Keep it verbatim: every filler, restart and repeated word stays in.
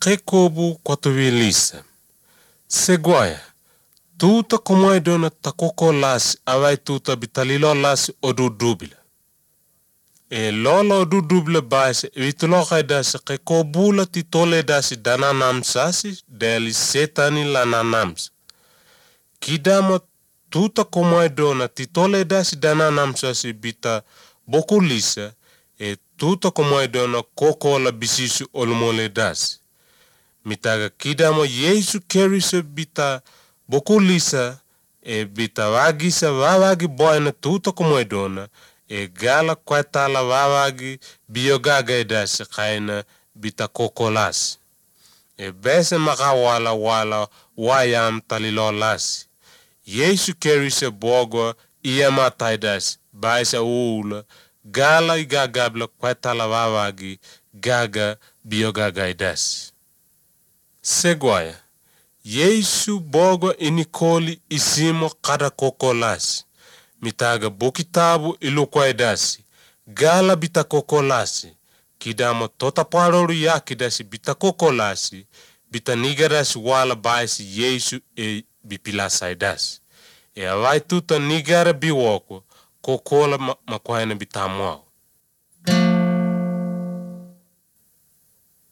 Kekobu kwatuvilisa. Seguaya. Tuta komai dona takoko lasi awai tuta bitalilo lasi odudubila. E lolo odudubila baise vitulo kaidasi kekobula titole dasi dana namsasi deli setani lana namsa. Kidama tuta komai dona titole dasi dana namsasi bita bokulisa e tuta komai dona koko la bisisu olmole dasi. Mitaga kidama Yesu kerise bita bokulisa e bita wagisa wawagi boyna tuta komai dona e gala kwetala wawagi biogaga edasi kaina bita kokolas. E bese maka wala wala wayam talilo lasi. Yesu kerise bogo iyama taidas baisa ula gala igagabla kwetala wawagi gaga biogaga edasi. Seguaya. Yesu bogo inikoli isimo kada kokolasi. Mitaga bokitabu ilukwaidasi. Gala bita kokolasi. Kidamo tota paroru yakidasi bita kokolasi. Bita nigarasi wala baisi Yesu e bipilasaidasi. E awai tuta nigara biwoko kokola makwaina bitamuao.